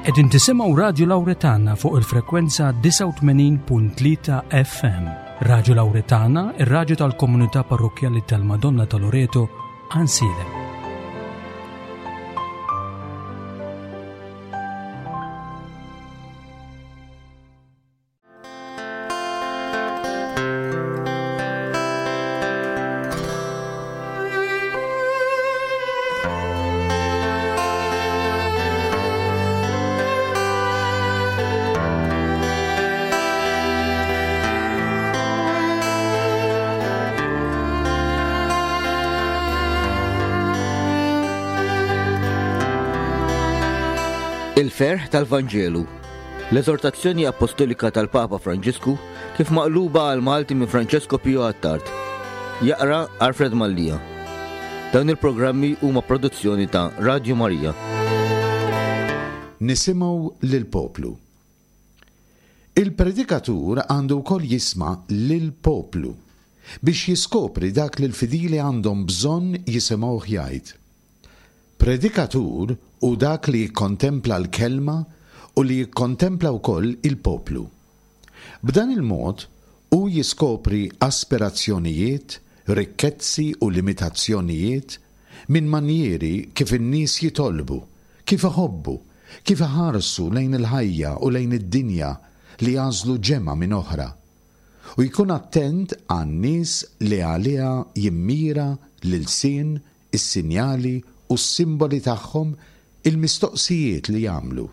Qegħdin tisimgħu Radju Lawretana fuq il-frekwenza 89.3 FM. Radju Lawretana, ir-radju tal-komunità parrokkjali tal-Madonna ta' Loreto, Ansiedem. Il-ferħ tal-Vanġelu L-Eżortazzjoni Appostolika tal-Papa Franġisku kif maqluba għal Malti minn Francesco Pio Attard. Jaqra Alfred Mallia. Dawn il-programmi huma produzzjoni ta' Radio Maria. Nisimgħu lill-poplu. Il-predikatur għandu wkoll jisma' lill-poplu biex jiskopri dak li l-fidili għandhom bżonn jisimgħuh jgħid. Predikatur hu dak li jikkontempla l-Kelma u li jikkontempla wkoll il-poplu. B'dan il-mod, hu jiskopri aspirazzjonijiet, rikkezzi u limitazzjonijiet minn manjieri kif in-nies jitolbu, kif iħobbu, kif iħarsu lejn il-ħajja u lejn id-dinja li jagħżlu ġemgħa minn oħra. U jkun attent għan-nies li għaliha jimmira l-ilsien is-sinjali u s-simboli tagħhom, il-mistoqsijiet li jagħmlu.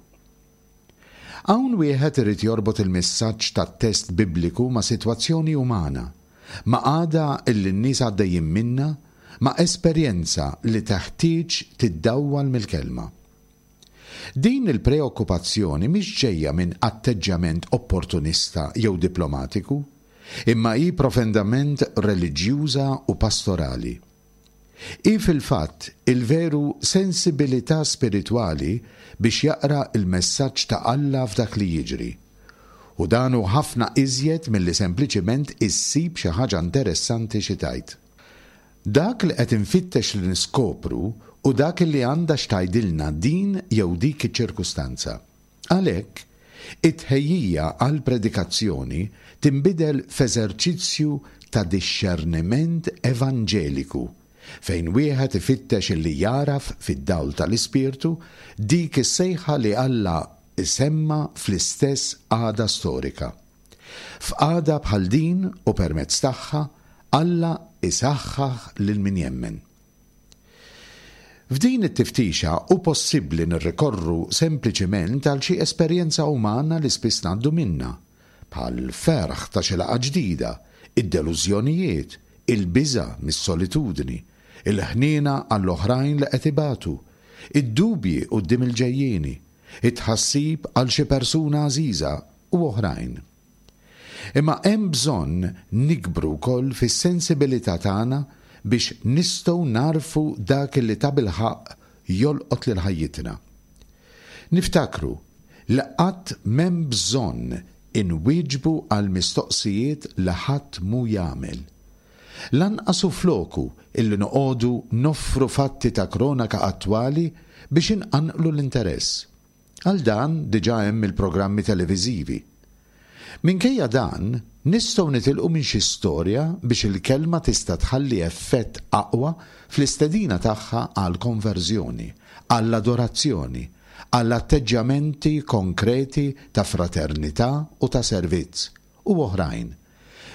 Hawn wieħed irid jorbot il-messaġġ tat-test Bibliku ma' sitwazzjoni umana, ma' qagħda li n-nies għaddejjin minnha, ma' esperjenza li teħtieġ tiddawwal mill-Kelma. Din il-preokkupazzjoni mhix ġejja minn atteġġjament opportunista jew diplomatiku, imma hi profendament reliġjuża u pastorali. Hi fil-fatt il-veru sensibilità spiritwali biex jaqra l-messaġġ ta' Alla f'dak li jiġri. U dan hu ħafna iżjed milli sempliċiment issib xi ħaġa interessanti xi tgħid. Dak li qed infittex li niskopru hu dak li għandha x'tgħidilna din jew dik iċ-ċirkustanza. Għalhekk, it-tħejjija għall-predikazzjoni tinbidel f'eżerċizzju ta' dixxerniment evanġeliku, fejn wieħed ifittex li jagħraf fid-dawl tal-Ispirtu dik is-sejħa li Alla jsemma fl-istess qagħda storika. F'qagħda bħal din u permezz tagħha, Alla jsaħħaħ lil min jemmen. F'din it-tiftixa hu possibbli nirrikorru sempliċiment għal xi esperjenza umana li spiss ngħaddu minnha, bħall-ferħ ta' xi laqgħa ġdida, id-delużjonijiet, il-biża' mis-solitudni, il-ħniena għall-oħrajn li qed ibatu, id-dubji quddiem il-ġejjieni, it-tħassib għal xi persuna għażiża, u oħrajn. Imma hemm bżonn nikbru wkoll fis-sensibilità tagħna biex nistgħu nagħrfu dak li tabilħaqq jolqot lil ħajjitna. Niftakru li qatt m'hemm bżonn inwieġbu għal mistoqsijiet li ħadd mhu jagħmel. Lanqas hu floku illi noqogħdu noffru fatti ta' kronaka attwali biex inqanqlu l-interess. Għal dan diġà hemm il-programmi televiżivi. Minkejja dan, nistgħu nitilqu minn xi storja biex il-kelma tista' tħalli effett aqwa fl-istedina tagħha għall-konverżjoni, għall-adorazzjoni, għal atteġġjamenti konkreti ta' fraternità u ta' servizz, u oħrajn.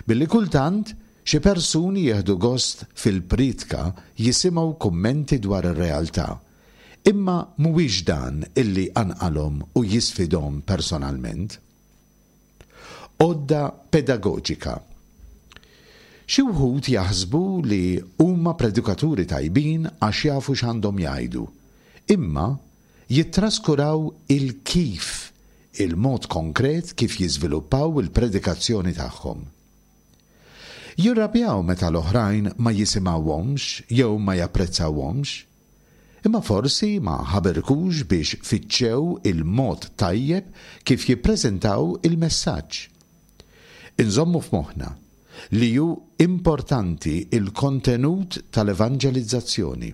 Billi kultant xi persuni jieħdu gost fil-priedka jisimgħu kummenti dwar ir-realtà, Imma mhuwiex dan illi jqanqalhom u jisfidhom personalment. Għodda pedagoġika. Xi wħud jaħsbu li huma predikaturi tajbin għax jafu x'għandhom jgħidu, imma jittraskuraw il-kif, il-mod konkret kif jiżviluppaw il-predikazzjoni tagħhom. Jirrabjaw meta l-oħrajn ma jisimgħuhomx jew ma japprezzawhomx. Imma forsi ma ħaberkux biex fittxew il-mod tajjeb kif jippreżentaw il-messaġġ. Inżommu f'moħħna li hu importanti l-kontenut tal-evanġelizzazzjoni.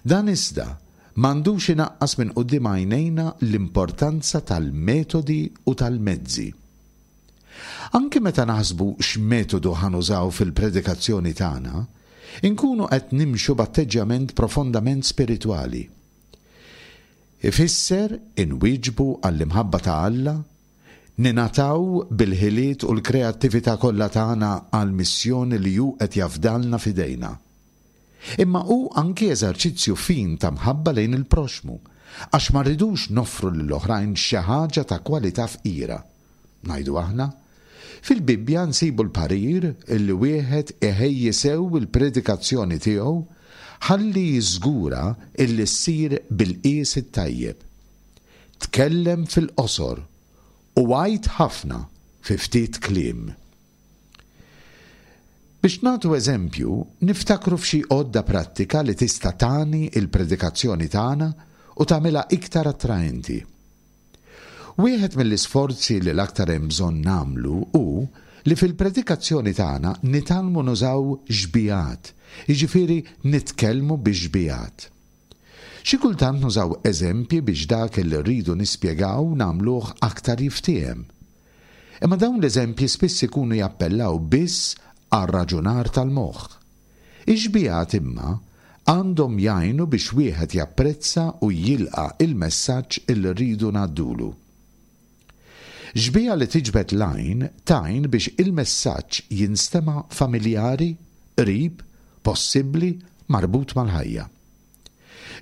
Dan iżda m'għandux inaqqas minn quddiem għajnejna l-importanza tal-metodi u tal-mezzi. Anki meta naħsbu x'metodu ħa nużaw fil-predikazzjoni tagħna, inkunu qed nimxu b'atteġġjament profondament spiritwali. Ifisser inwieġbu għall-imħabba ta' Alla, ningħataw bil-ħiliet u l-kreattività kollha tagħna għall-missjoni li hu qed jafdalna f'idejna. Imma hu anki eżerċizzju fin ta' mħabba lejn il-proxxmu, għax ma rridux noffru lill-oħrajn xi ħaġa ta' kwalità fqira. Ngħidu aħna, fil-Bibbja nsibu l-parir li wieħed iħejji sew il-predikazzjoni tiegħu ħalli jiżgura illi ssir bil-qies it-tajjeb. Tkellem fil-qosor u għid ħafna fi ftit kliem. Biex nagħtu eżempju, niftakru f'xi għodda prattika li tista' tagħni l-predikazzjoni tagħna u tagħmilha iktar attraenti. Wieħed mill-isforzi li l-aktar hemm bżonn nagħmlu hu li fil-predikazzjoni tagħna nitgħallmu nużaw xbigħat, jiġifieri nitkellmu bix-xbigħat. Xi kultant nużaw eżempji biex dak li rridu nispjegaw nagħmluh aktar jiftiehem. Imma dawn l-eżempji spiss ikunu jappellaw biss għar-raġunar tal-moħħ. Ix-xbigħat imma għandhom jgħinu biex wieħed japprezza u jilqa' il-messaġġ illi rridu ngħaddulu. Xbieha li tiġbed l-għajn tgħin biex il-messaġġ jinstema' familjari, qrib, possibbli, marbut mal-ħajja.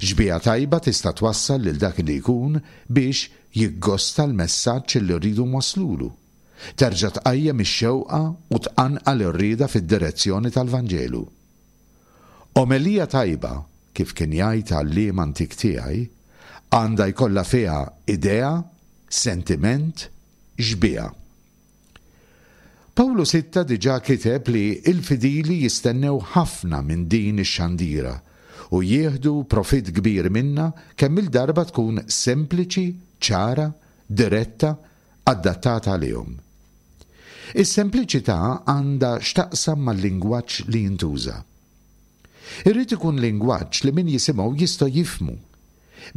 Xbieha tajba tista' twassal lil dak li jkun biex jiggosta l-messaġġ li rridu nwasslulu. Terġa' tqajjem ix-xewqa u tqanqal ir-rieda fid-direzzjoni tal-Vanġelu. Omelija tajba, kif kien jgħid għalliem antik tiegħi, għandha jkollha fiha idea, sentiment, xbieha. Pawlu Sitta diġà kiteb li l-fidili jistennew ħafna minn din ix-xandira u jieħdu profitt kbir minnha kemm-il darba tkun sempliċi, ċara, diretta, adattata għalihom. Is-sempliċità għandha x'taqsam mal-lingwaġġ li jintuża. Irid ikun lingwaġġ li min jisimgħu jista' jifhmu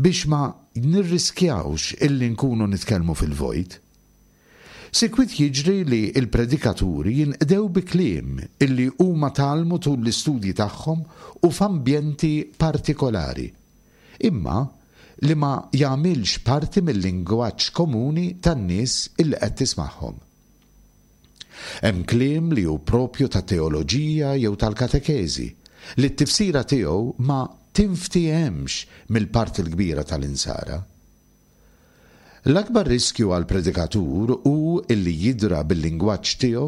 biex ma nirriskjawx illi nkunu nitkellmu fil-vojt. Sikwit jiġri li l-predikaturi jinqdew bi kliem illi huma tgħallmu tul l-istudji tagħhom u f'ambjenti partikolari. Imma li ma jagħmilx parti mil-lingwaġġ komuni tan-nies illi qed tismagħhom. Hemm kliem li hu proprju tat-teoloġija jew tal-katekeżi, li t-tifsira tiegħu ma tinftiehemx mill-parti l-kbira tal-Insara. L-akbar riskju għall-predikatur hu illi jidra bil-lingwaġġ tiegħu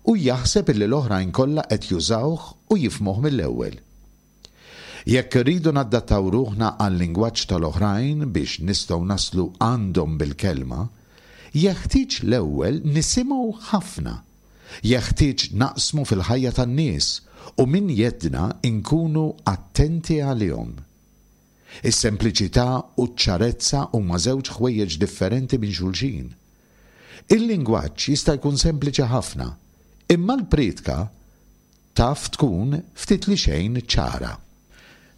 u jaħseb illi l-oħrajn kollha qed jużawh u jifhmuh mill-ewwel. Jekk irridu naddattaw ruħna għal-lingwaġġ tal-oħrajn biex nistgħu naslu għandhom bil-kelma, jeħtieġ l-ewwel nisimgħu ħafna. Jeħtieġ naqsmu fil-ħajja tan-nies u minn jeddna nkunu attenti għalihom. Is-sempliċità u ċ-ċarezza huma żewġ ħwejjeġ differenti minn xulxin. Il-lingwaġġ jista' jkun sempliċi ħafna, imma l-prietka Taf tkun ftit li xejn ċara.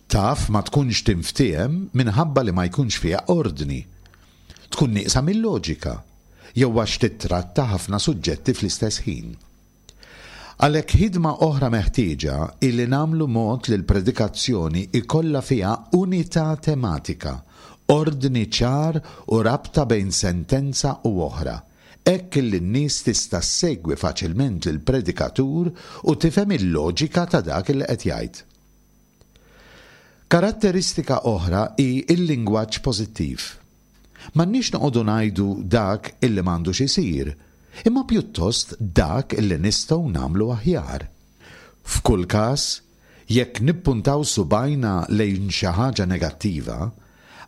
Taf ma tkunx tinftiehem minħabba li ma jkunx fiha ordni. Tkun nieqsa mil-loġika, jew għax tittratta ħafna suġġetti fl-istess ħin. Għalhekk ħidma oħra meħtieġa hi li nagħmlu mod li l-predikazzjoni jkollha fiha unità tematika, ordni ċar u rabta bejn sentenza u oħra, hekk illi n-nies tista' ssegwi faċilment lill-predikatur u tifhem il-loġika ta' dak illi qed jgħid. Karatteristika oħra hi l-lingwaġġ pożittiv. M'għandniex noqogħdu ngħidu dak illi m'għandux isir, imma pjuttost dak illi nistgħu nagħmlu aħjar. F'kull każ, Jekk nippuntaw subgħajna lejn xi ħaġa negattiva,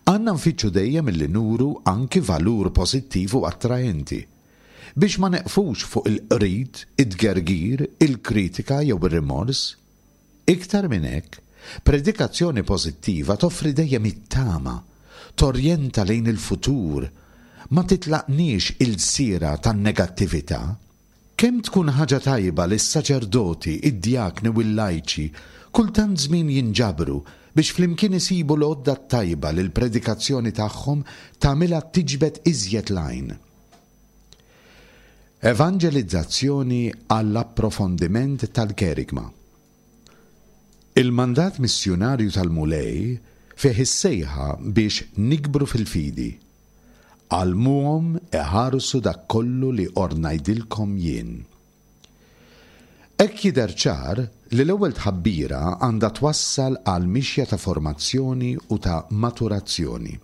għandna nfittxu dejjem illi nuru anki valur pożittiv u attraenti, biex ma neqfux fuq il-qrid, it-tgergir, il-kritika jew ir-rimors. Iktar minn hekk, predikazzjoni pożittiva toffri dejjem it-tama, torjenta lejn il-futur, ma titlaqniex ilsiera tan-negattività. Kemm tkun ħaġa tajba li s-saċerdoti, id-djakni u l-lajċi kull tant żmien jinġabru biex flimkien isibu l-għodda t-tajba li l-predikazzjoni tagħhom tagħmilha tiġbed iżjed l-għajn. Evanġelizzazzjoni għall-approfondiment tal-kerigma. Il-mandat missjunarju tal-Mulej fih is-sejħa biex nikbru fil-fidi. Għallmuhom iħarsu dak kollu li ordnajdilkom jien. Hekk jidher ċar li l-ewwel tħabbira għandha twassal għal mixja ta' formazzjoni u ta' maturazzjoni.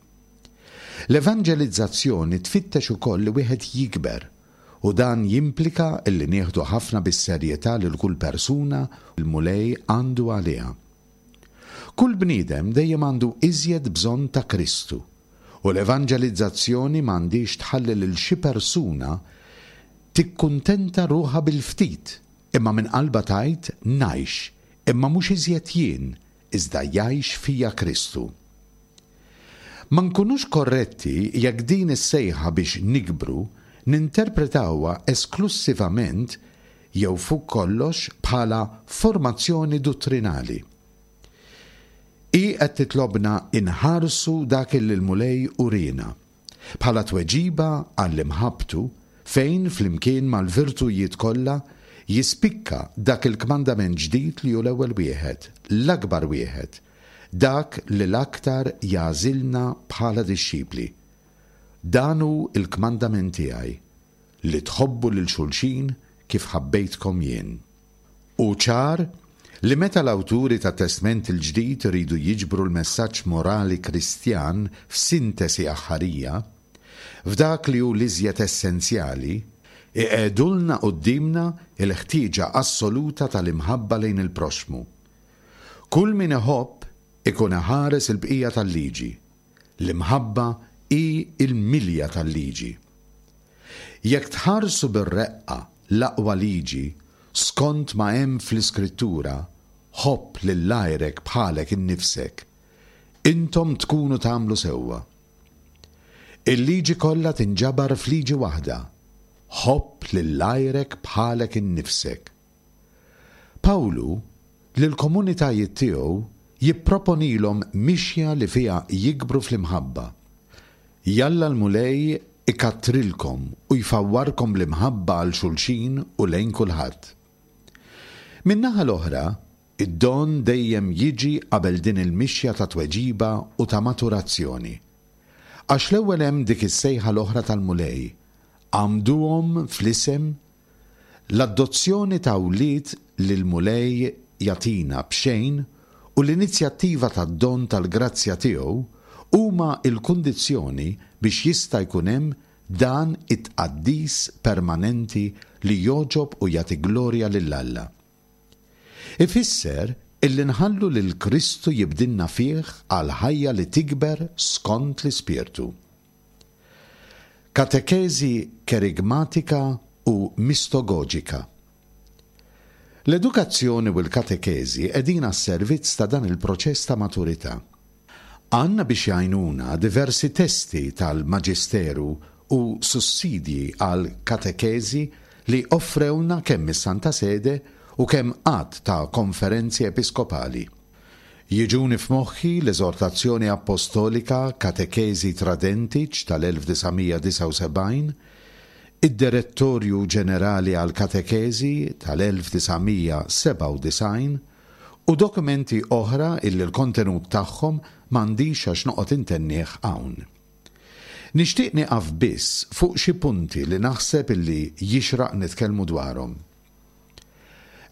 L-evanġelizzazzjoni tfittex ukoll li wieħed jikber u dan jimplika li nieħdu ħafna bis-serjetà lil kull persuna l-Mulej għandu għaliha. Kull bniedem dejjem għandu iżjed bżonn ta' Kristu u l-evanġelizzazzjoni m'għandhiex tħalli lil xi persuna tikkuntenta ruħha bil-ftit, imma minn qalbha tgħid, Ngħix, imma mhux iżjed jien, iżda jgħix fija Kristu. Ma nkunux korretti jekk din is-sejħa biex nikbru ninterpretawha esklussivament jew fuq kollox bħala formazzjoni duttrinali. Hi qed titlobna nħarsu dak illi l-Mulej uriena, bħala tweġiba għall-imħabbtu fejn flimkien mal-virtujiet kollha jispikka dak il-kmandament ġdid li hu l-ewwel wieħed, l-akbar wieħed, dak li l-aktar jagħżilna bħala dixxipli. Dan hu l-kmandament tiegħi, li tħobbu lil xulxin kif ħabbejtkom jien. Hu ċar li meta l-awturi tat-Testment il-Ġdid iridu jiġbru l-messaġġ morali Kristjan f'sintesi aħħarija, f'dak li hu l-iżjed essenzjali, iqiegħdulna quddiemna l-ħtieġa assoluta tal-imħabba lejn il-proxxmu. Kull min iħobb ikun iħares il-bqija tal-liġi. L-imħabba hi l-milja tal-liġi. Jekk tħarsu bir-reqqa l-aqwa liġi, skont ma hemm fl-Iskrittura, Ħobb lil għajrek bħalek innifsek, intom tkunu tagħmlu sewwa. Il-liġi kollha tinġabar f'liġi waħda, Ħobb lil għajrek bħalek innifsek. Pawlu, lill-komunitajiet tiegħu jipproponilhom mixja li fiha jikbru fl-imħabba. Jalla l-Mulej ikattrilkom u jfawwarkom bl-imħabba għal xulxin u lejn kulħadd. Min-naħa l-oħra, id-don dejjem jiġi qabel din il-mixja ta' tweġiba u ta' maturazzjoni. Għax l-ewwel hemm dik is-sejħa l-oħra tal-Mulej, Għammduhom fl-isem L-adozzjoni ta' wlied li l-Mulej jagħtina b'xejn u l-inizjattiva tad-don tal-grazzja tiegħu huma l-kundizzjoni biex jista' jkun hemm dan it-tqaddis permanenti li jogħġob u jagħti glorja lil Alla. Ifisser illi nħallu lil Kristu jibdilna fih għal ħajja li tikber skont l-Ispirtu. Katekeżi kerigmatika u mistogoġika. L-edukazzjoni u l-katekeżi qegħdin għas-servizz ta' dan il-proċess ta' maturità. Għandna biex jgħinuna diversi testi tal-Maġisteru u sussidji għall-katekeżi li offrewlna kemm is-Santa Sede u kemm għadd ta' konferenzi episkopali. Jiġuni f'moħħi l-Eżortazzjoni Appostolika Catechesi Tradentic tal-1979, id-Direttorju Ġenerali għall-Katekeżi tal-1997 u dokumenti oħra illi l-kontenut tagħhom m'għandix għax noqgħod intennih hawn. Nixtieq nieqaf biss fuq xi punti li naħseb illi jixraq nitkellmu dwarhom.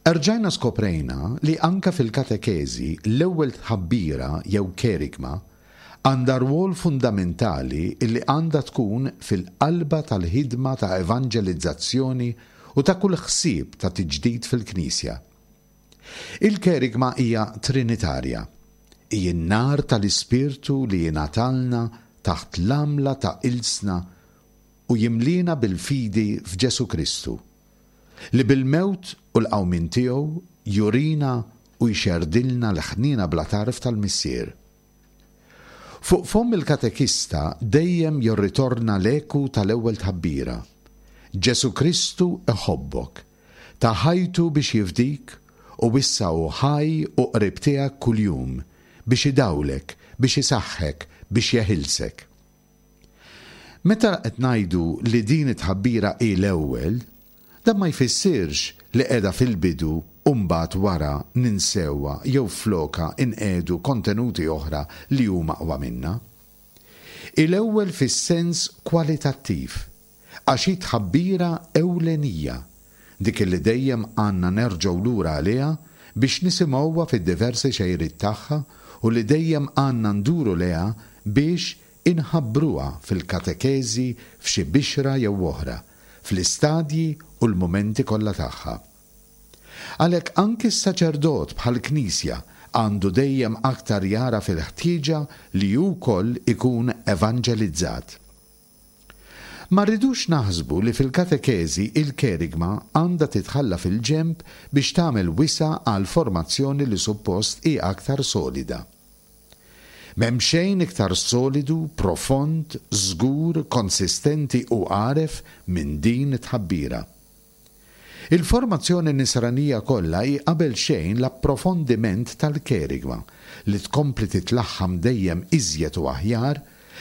Erġajna skoprejna li anke fil-katekeżi l-ewwel tħabbira jew kerigma għandha rwol fundamentali li għandha tkun fil-qalba tal-ħidma ta' evanġelizzazzjoni u ta' kull ħsieb ta' tiġdid fil-Knisja. Il-kerigma hija trinitarja. Hi n-nar tal-Ispirtu li jingħatalna taħt l-għamla ta' ilsna u jimliena bil-fidi f'Ġesù Kristu. Li bil-mewt u l-qawmien tiegħu jurina u jxerrdilna l-ħniena bla tarf tal-Missier. Fuq fomm il-katekista dejjem jirritorna l-eku tal-ewwel tħabbira, Ġesù Kristu iħobbok, ta ħajtu biex jifdik u issa hu ħaj u qrib tiegħek kuljum. biex idawlek, biex isaħħek, biex jeħilsek. Meta qed ngħidu li din it-tħabbira hi l-ewwel, dan ma jfissirx li qiegħda fil-bidu u mbagħad wara ninsewha jew flokha inqiegħdu kontenuti oħra li huma aqwa minnha. Hi l-ewwel fis-sens kwalitattiv, għax hi tħabbira ewlenija, dik li dejjem għandna nerġgħu lura għaliha biex nisimgħuha fid-diversi xejriet tagħha u li dejjem għandna nduru lejha biex inħabbruha fil-katekeżi f'xi bixra jew oħra, fl-istadji u l-mumenti kollha tagħha. Għalhekk anki s-saċerdot bħall-Knisja għandu dejjem aktar jagħraf il-ħtieġa li hu wkoll ikun evanġelizzat. Ma rridux naħsbu li fil-katekeżi il-kerigma għandha titħalla fil-ġenb biex tagħmel wisa' għal formazzjoni li suppost hi aktar solida. M'hemm xejn iktar solidu, profond, żgur, konsistenti u għaref minn din it-tħabbira. Il-formazzjoni Nisranija kollha hi qabel xejn l-approfondiment tal-kerigma, li tkompli titlaħħam dejjem iżjed u aħjar,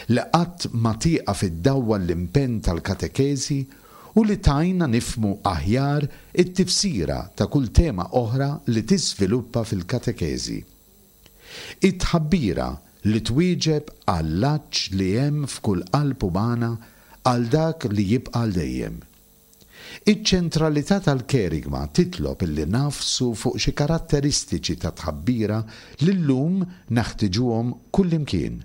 li qatt ma tieqaf iddawwal l-impenn tal-katekeżi u li tgħinna nifhmu aħjar it-tifsira ta' kull tema oħra li tiżviluppa fil-katekeżi. Hi tħabbira li twieġeb għall-għatx li hemm f'kull qalb umana għal dak li jibqa' għal dejjem. Iċ-ċentralità tal-kerigma titlob illi nagħfsu fuq xi karatteristiċi ta' tħabbira li llum neħtiġuhom kullimkien,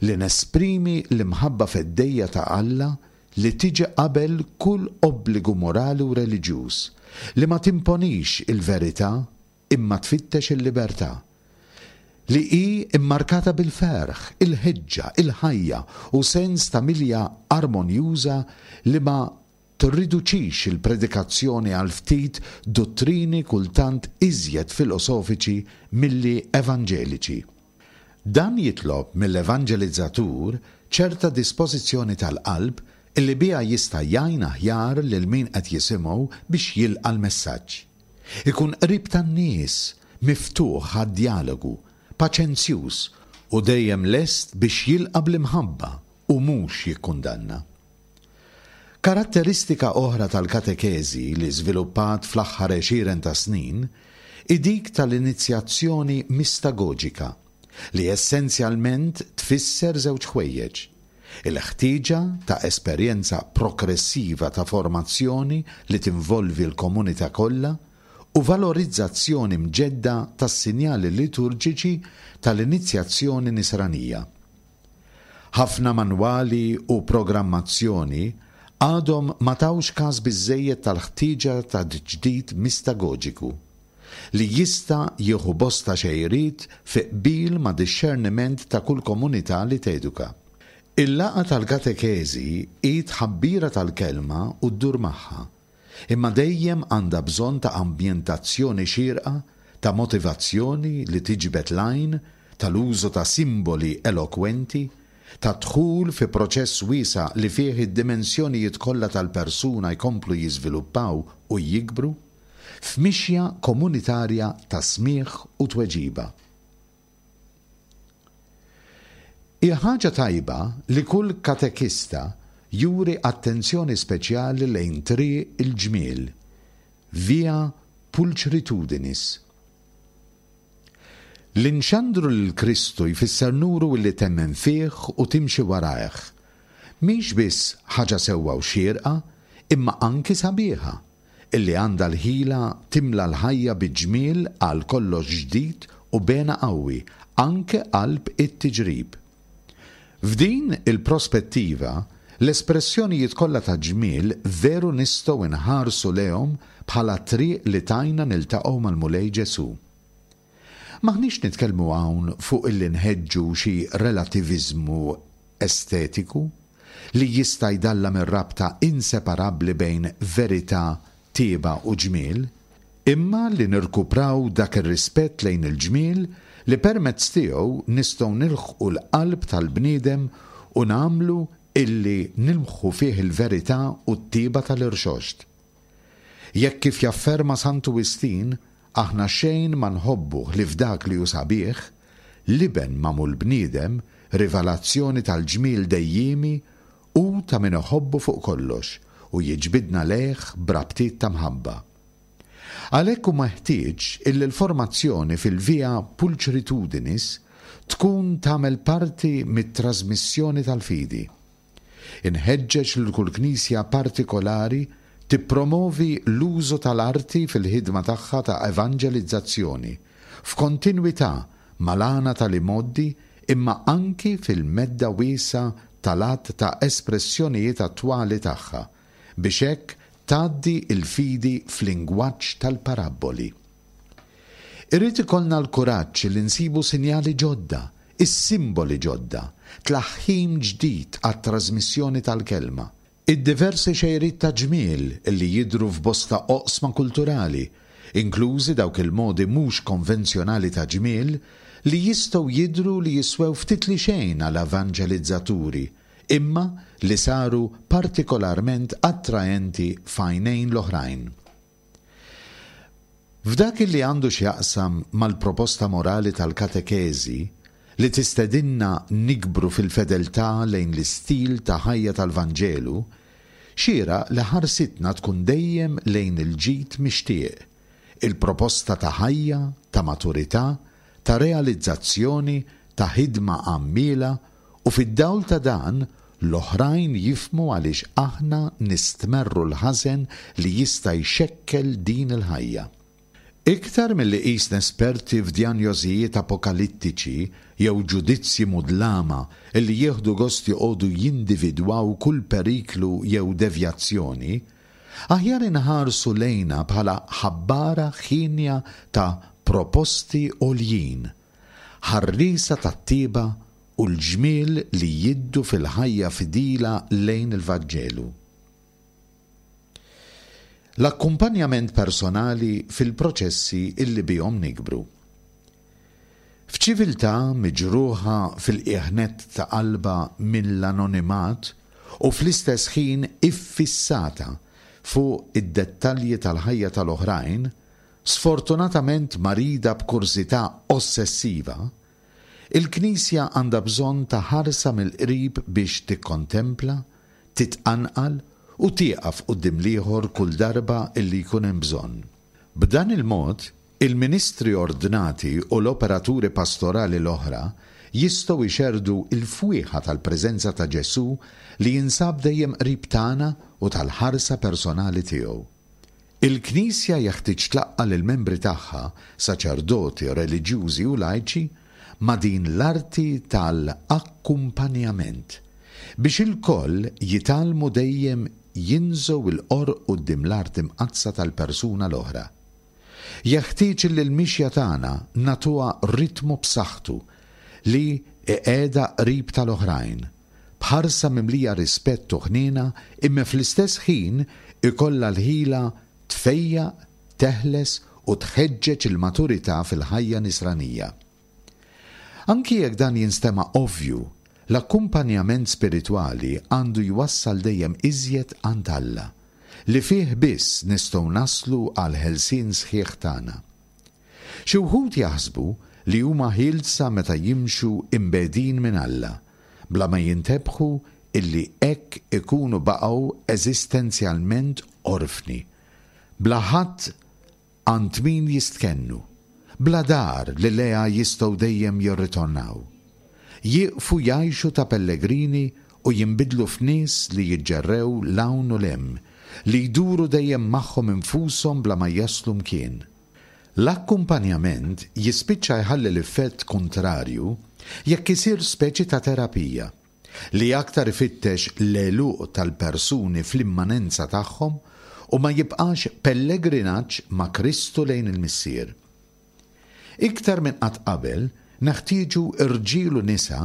li nesprimi l-imħabba feddejja ta' Alla li tiġi qabel kull obbligu morali u reliġjuż, li ma timponix il-verità imma tfittex il-libertà, li hi mmarkata bil-ferħ, il-ħeġġa, il-ħajja u sens ta' milja armonjuża li ma tirriduċix il-predikazzjoni għal ftit duttrini kultant iżjed filosofiċi milli evanġeliċi. Dan jitlob mill-evanġelizzatur ċerta dispożizzjoni tal-qalb illi biha jista' jgħin aħjar lil min qed jisimgħu biex jilqa' l-messaġġ. Ikun qrib tan-nies, miftuħ għad-djalogu, paċenzjuż u dejjem lest biex jilqa' bl-imħabba u mhux jikkundanna. Karatteristika oħra tal-katekeżi li żviluppat fl-aħħar għexieren ta' snin hi dik tal-inizjazzjoni mistagoġika, li essenzjalment tfisser żewġ ħwejjeġ, il-ħtieġa ta' esperjenza progressiva ta' formazzjoni li tinvolvi l-komunità kollha u valorizzazzjoni mġedda tas-sinjali liturġiċi tal-inizjazzjoni Nisranija. Ħafna manwali u programmazzjoni għadhom ma tawx każ biżżejjed tal-ħtieġa ta' tiġdid mistagoġiku, li jista' jieħu bosta xejriet fi qbil ma' dixxerniment ta' kull komunità li teduka. Il-laqgħa tal-katekeżi hi tħabbira tal-Kelma u ddur magħha, imma dejjem għandha bżonn ta' ambjentazzjoni xierqa, ta' motivazzjoni li tiġbed l-għajn, tal-użu ta' simboli elokwenti, ta' dħul fi proċess wiesa' li fih id-dimensjonijiet kollha tal-persuna jkomplu jiżviluppaw u jikbru, f'mixja komunitarja ta' smigħ u tweġiba. Hi ħaġa tajba li kull katekista juri attenzjoni speċjali lejn triq il-ġmiel, via pulchritudinis. Li nxandru lil Kristu jfisser nuru illi temmen fih u timxi warajh. Mhix biss ħaġa sewwa u xierqa, imma anki sabiħa. illi għandha l-ħila timla l-ħajja bi ġmiel għal kollox ġdid u b'hena qawwi, anke qalb it-tiġrib. F'din il-prospettiva, l-espressjonijiet kollha ta' ġmiel veru nistgħu nħarsu lejhom bħala triq li tgħinna niltaqgħu mal-Mulej Ġesù. M'aħniex nitkellmu hawn fuq illi nħeġġu xi relativiżmu estetiku li jista' jdallam ir-rabta inseparabbli bejn verità, tjieba u ġmiel, imma li nirkupraw dak ir-rispett lejn il-ġmiel li permezz tiegħu nistgħu nilħqu l-qalb tal-bniedem u nagħmlu illi nilmħu fih il-verità u t-tjieba tal-Irxoxt. Jekk kif jafferma Santu Wistin, aħna xejn ma nħobbu ħlief dak li hu sabiħ, L-Iben magħmul bniedem, rivelazzjoni tal-ġmiel dejjiemi, hu ta' min iħobbu fuq kollox u jiġbidna lejh b'rabtiet ta' mħabba. Għalhekk hu meħtieġ illi l-formazzjoni fil-via pulchritudinis tkun tagħmel parti mit-trasmissjoni tal-fidi. Inħeġġeġ lil kull Knisja partikolari tippromovi l-użu tal-arti fil-ħidma tagħha ta' evanġelizzazzjoni, f'kontinwità mal-għana tal-imgħoddi imma anki fil-medda wiesgħa tal-għadd ta' espressjonijiet attwali tagħha, biex hekk tgħaddi l-fidi f'lingwaġġ tal-parabboli. Irid ikollna l-kuraġġ li nsibu sinjali ġodda, is-simboli ġodda, tlaħħim ġdid għat-trażmissjoni tal-kelma. Id-diversi xejriet ta' ġmiel li jidhru f'bosta oqsma kulturali, inklużi dawk il-modi mhux konvenzjonali ta' ġmiel li jistgħu jidhru li jiswew ftit li xejn għal evanġelizzaturi imma li saru partikolarment attraenti f'għajnejn l-oħrajn. F'dak li għandu x'jaqsam mal-proposta morali tal-katekeżi, li tistedinna nikbru fil-fedeltà lejn l-istil ta' ħajja tal-Vanġelu, xieraq li ħarsitna tkun dejjem lejn il-ġid mixtieq, il-proposta ta' ħajja, ta' maturità, ta' realizzazzjoni, ta' ħidma għammiela u fid-dawl ta' dan l-oħrajn jifhmu għaliex aħna nistmerru l-ħażen li jista' jxekkel din il-ħajja. Iktar milli qisna esperti f'djanjożijiet apokalittiċi jew ġudizzji mudlama li jieħdu gost joqogħdu jindividwaw kull periklu jew devjazzjoni, aħjar inħarsu lejna bħala ħabbara ħienja ta' proposti għoljin, ħarriesa tat-tjieba u l-ġmiel li jiddu fil-ħajja fidila lejn il-Vanġelu. L-akkumpanjament personali fil-proċessi illi bihom nikbru. F'ċiviltà miġruħa fil-qiegħ nett ta' qalbha mill-anonimat u fl-istess ħin iffissata fuq id-dettalji tal-ħajja tal-oħrajn, sfortunatament marida b'kurżità ossessiva, il-Knisja għandha bżonn ta' ħarsa mill-qrib biex tikkontempla, titqanqal u tieqaf quddiem l-ieħor kull darba illi jkun hemm bżonn. B'dan il-mod, il-ministri ordnati u l-operaturi pastorali l-oħra jistgħu jxerrdu l-fwieħa tal-preżenza ta' Ġesù li jinsab dejjem qrib tagħna u tal-ħarsa personali tiegħu. Il-Knisja jeħtieġ tlaqqa' lill-membri tagħha, saċerdoti, reliġjużi u lajċi, ma' din l-arti tal-akkumpanjament, biex ilkoll jitgħallmu dejjem jinżgħu l-qorq quddiem l-art imqaddsa tal-persuna l-oħra. Jeħtieġ li l-mixja tagħna nagħtuha ritmu b'saħħtu li iqiegħdha qrib tal-oħrajn, b'ħarsa mimlija rispett u ħniena imma fl-istess ħin ikollha l-ħila tfejjaq, teħles u tħeġġeġ il-maturità fil-ħajja nisranija. Anki jekk dan jinstema' ovvju, l-akkumpanjament spiritwali għandu jwassal dejjem iżjed għand Alla, li fih biss nistgħu naslu għall-ħelsien sħiħ tagħna. Xi wħud jaħsbu li huma ħielsa meta jimxu imbegħdin minn Alla, bla ma jintebħu illi hekk ikunu baqgħu eżistenzjalment orfni, bla ħadd għand min jistkennu, bla dar li lejha jistgħu dejjem jirritornaw. Jieqfu jgħixu ta' pellegrini u jinbidlu f'nies li jiġġerrew 'l hawn u 'l hemm, li jduru dejjem magħhom infushom bla ma jaslu mkien. L-akkumpanjament jispiċċa jħalli l-effett kuntrarju jekk isir speċi ta' terapija, li aktar ifittex l-għeluq tal-persuni fl-immanenza tagħhom u ma jibqax pellegrinaġġ ma' Kristu lejn il-Missier. Iktar minn qatt qabel, neħtieġu rġiel u nisa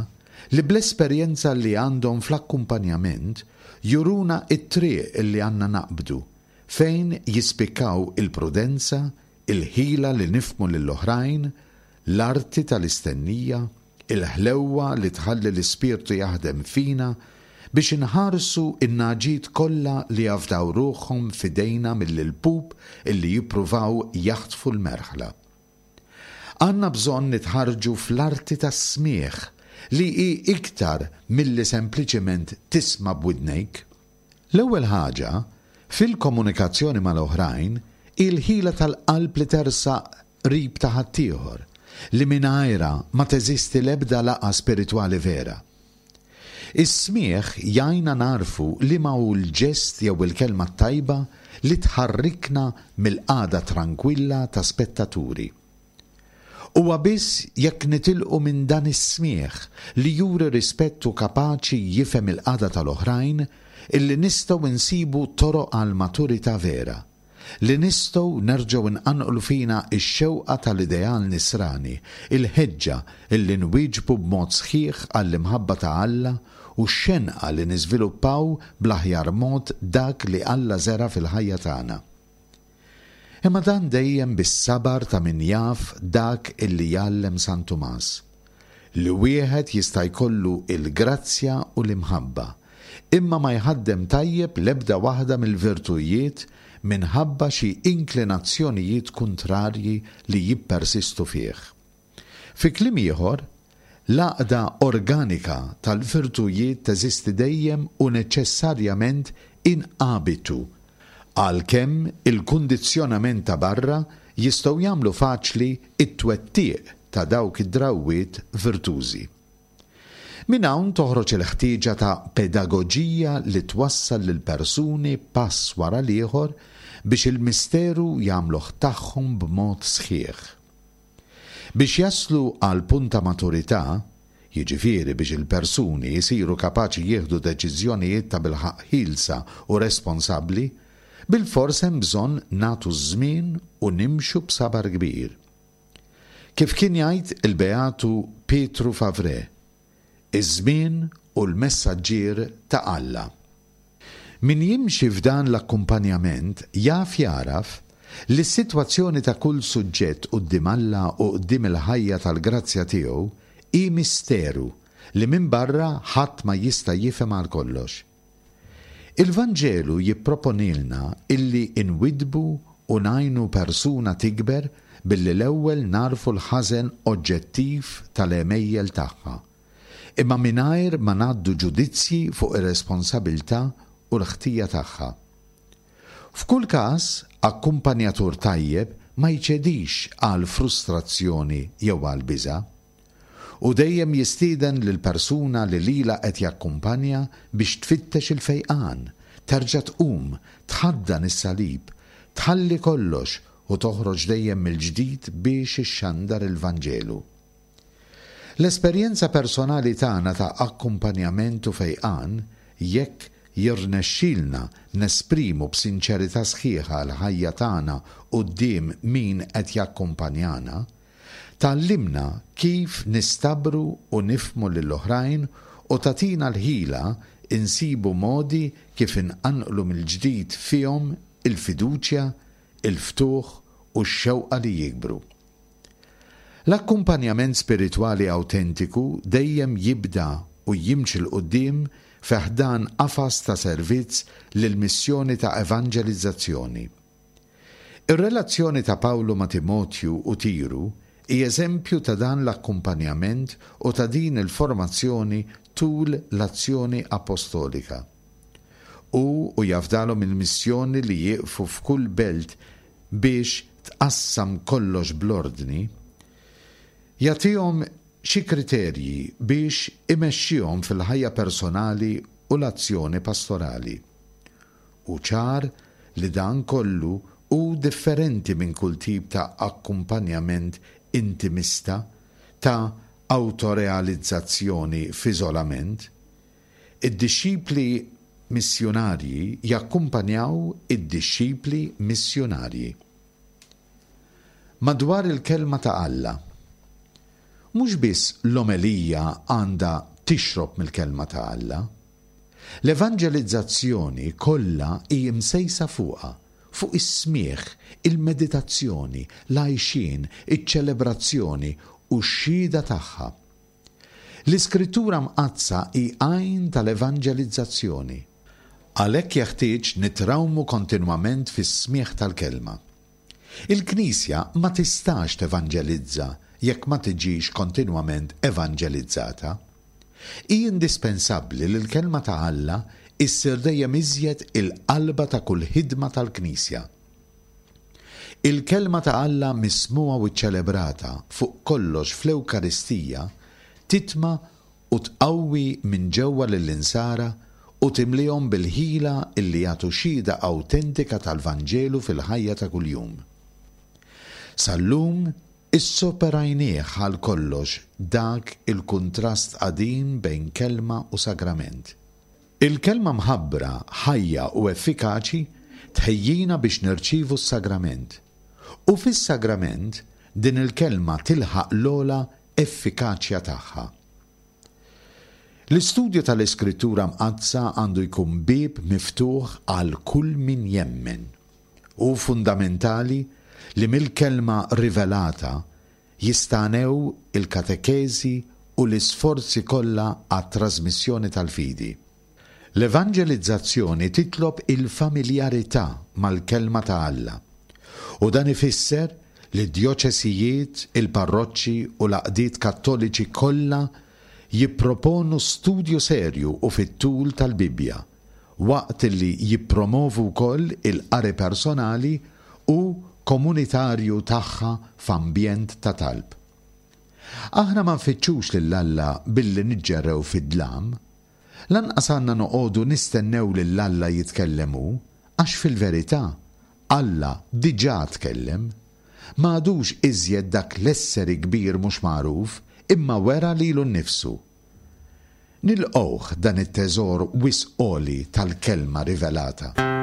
li bl-esperjenza li għandhom fl-akkumpanjament juruna t-triq li għandna naqbdu fejn jispikkaw il-prudenza, il-ħila li nifhmu lill-oħrajn, l-arti tal-istennija, il-ħlewwa li tħalli l-Ispirtu jaħdem fina biex inħarsu n-nagħġiet kollha li jafdaw ruħhom f'idejna mill-ilpup illi jippruvaw jaħtfu l-merħla. Għandna bżonn nitħarrġu fl-arti tas-smigħ, li hi iktar milli sempliċement tisma' b'widnejk. L-ewwel ħaġa, fil-komunikazzjoni mal-oħrajn, hi l-ħila tal-qalb li tersaq qrib ta' ħaddieħor, li mingħajrha ma teżisti l-ebda laqgħa spiritwali vera. Is-smigħ jgħinna nagħrfu liema hu l-ġest jew il-kelma t-tajba li tħarrikna mill-qagħda trankwilla ta' spettaturi. Huwa biss jekk nitilqu minn dan is-smigħ li juri rispett u kapaċi jifhem il-qagħda tal-oħrajn illi nistgħu nsibu toroq għall-maturità vera. Li nistgħu nerġgħu nqanqlu fina x-xewqa tal-ideal nisrani, il-ħeġġa illi nwieġbu b'mod sħiħ għall-imħabba ta' Alla u x-xenqa li niżviluppaw bl-aħjar mod dak li Alla żera' fil-ħajja tagħna. Imma dan dejjem bis-sabar ta' min jaf dak illi jgħallem San Tumas, li wieħed jista' jkollu l-grazzja u l-imħabba, imma ma jħaddem tajjeb l-ebda waħda mill-virtujiet minħabba xi inklinazzjonijiet kuntrarji li jippersistu fih. Fi kliem ieħor, l-għaqda organika tal-virtujiet teżisti dejjem u neċessarjament in abitu, għalkemm il-kundizzjonament ta' barra jistgħu jagħmlu faċli t-twettiq ta' dawk id-drawwiet virtużi. Minn hawn toħroġ il-ħtieġa ta' pedagoġija li twassal lill-persuni pass wara l-ieħor biex il-misteru jagħmluh tagħhom b'mod sħiħ. Biex jaslu għal punt ta' maturità, jiġifieri biex il-persuni jsiru kapaċi jieħdu deċiżjonijiet tabilħaqq ħielsa u responsabbli, bilfors hemm bżonn nagħtu ż-żmien u nimxu b'sabar kbir. Kif kien jgħid il-Beatu Pietru Favre, Iż-żmien hu l-messaġġier ta' Alla. Min jimxi f'dan l-akkumpanjament jaf jagħraf li s-sitwazzjoni ta' kull suġġett quddiem Alla u quddiem il-ħajja tal-grazzja tiegħu hi misteru li minn barra ħadd ma jista' jifhem għal kollox. Il-Vanġelu jipproponilna illi nwiddbu u ngħinu persuna tikber billi l-ewwel nagħrfu l-ħażen oġġettiv tal-għemejjel tagħha, imma mingħajr ma ngħaddu ġudizzji fuq ir-responsabilità u l-ħtija tagħha. F'kull każ, akkumpanjatur tajjeb ma jċedix għall-frustrazzjoni jew għall-biża'. Hu dejjem jistieden lill-persuna li lilha qed jakkumpanja biex tfittex il-fejqan, terġa' tqum, tħaddan is-salib, tħalli kollox u toħroġ dejjem mill-ġdid biex ixxandar il-Vanġelu. L-esperjenza personali tagħna ta' akkumpanjament u fejqan, jekk jirnexxilna nesprimu b'sinċerità sħiħa l-ħajja tagħna quddiem min qed jakkumpanjana, Tgħallimna kif nistabru u nifhmu lill-oħrajn u tagħtina l-ħila nsibu modi kif inqanqlu mill-ġdid fihom il-fiduċja, il-ftuħ u x-xewqa li jikbru. L-akkumpanjament spiritwali awtentiku dejjem jibda u jimxi 'l quddiem fi ħdan qafas ta' servizz lill-missjoni ta' evanġelizzazzjoni. Ir-relazzjoni ta' Pawlu ma' Timotju u Tiru hi eżempju ta' dan l-akkumpanjament u ta' din il-formazzjoni tul l-azzjoni appostolika. Hu u jafdalhom il-missjoni li jieqfu f'kull belt biex tqassam kollox bl-ordni, jagħtihom xi kriterji biex imexxihom fil-ħajja personali u l-azzjoni pastorali. Hu ċar li dan kollu hu differenti minn kull tip ta' akkumpanjament intimista, ta' awtorealizzazzjoni f'iżolament. Id-dixxipli missjunarji jakkumpanjaw id-dixxipli missjunarji. Madwar il-Kelma ta' Alla. Mhux biss l-omelija għandha tixrob mill-Kelma ta' Alla. L-evanġelizzazzjoni kollha hi msejsa fuqha, fuq is-smigħ, il-meditazzjoni, l-għajxien, iċ-ċelebrazzjoni u x-xhieda tagħha. L-Iskrittura Mqaddsa hi għajn tal-evanġelizzazzjoni. Għalhekk jeħtieġ nitrawmu kontinwament fis-smigħ tal-Kelma. Il-Knisja ma tistax tevanġelizza jekk ma tiġix kontinwament evanġelizzata. Hi indispensabbli li l-Kelma ta' Alla issir dejjem iżjed il-qalba ta' kull ħidma tal-Knisja. Il-Kelma ta' Alla mismugħa u ċċelebrata, fuq kollox fl-Ewkaristija, titma' u tqawwi minn ġewwa lill-insara u timliehom bil-ħila illi jagħtu xhieda awtentika tal-Vanġelu fil-ħajja ta' kuljum. Sal-lum issoperajnieh għal kollox dak il-kuntrast qadim bejn kelma u sagrament. Il-Kelma mħabbra, ħajja u effikaċi tħejjina biex nirċievu s-sagrament. U fis-sagrament din il-Kelma tilħaq l-ogħla effikaċja tagħha. L-istudju tal-Iskrittura Mqaddsa għandu jkun bieb miftuħ għal kull min jemmen. Hu fundamentali li mill-Kelma rivelata jistagħnew il-katekeżi u l-isforzi kollha għat-trażmissjoni tal-fidi. L-evanġelizzazzjoni titlob il-familjarità mal-Kelma ta' Alla, u dan ifisser li d-djoċesijiet, il-parroċċi u l-għaqdiet Kattoliċi kollha jipproponu studju serju u fit-tul tal-Bibbja, waqt li jippromovu wkoll il-qari personali u komunitarju tagħha f'ambjent ta' talb. Aħna ma nfittxux lil Alla billi niġġerrew fid-dlam. Lanqas għandna noqogħdu nistennew lil Alla jitkellem hu, għax fil-verità, Alla diġà tkellem. Ma għadux iżjed dak l-esseri kbir mhux magħruf, imma wera lilu nnifsu. Nilqgħuh dan it-teżor wisq għoli tal-Kelma rivelata.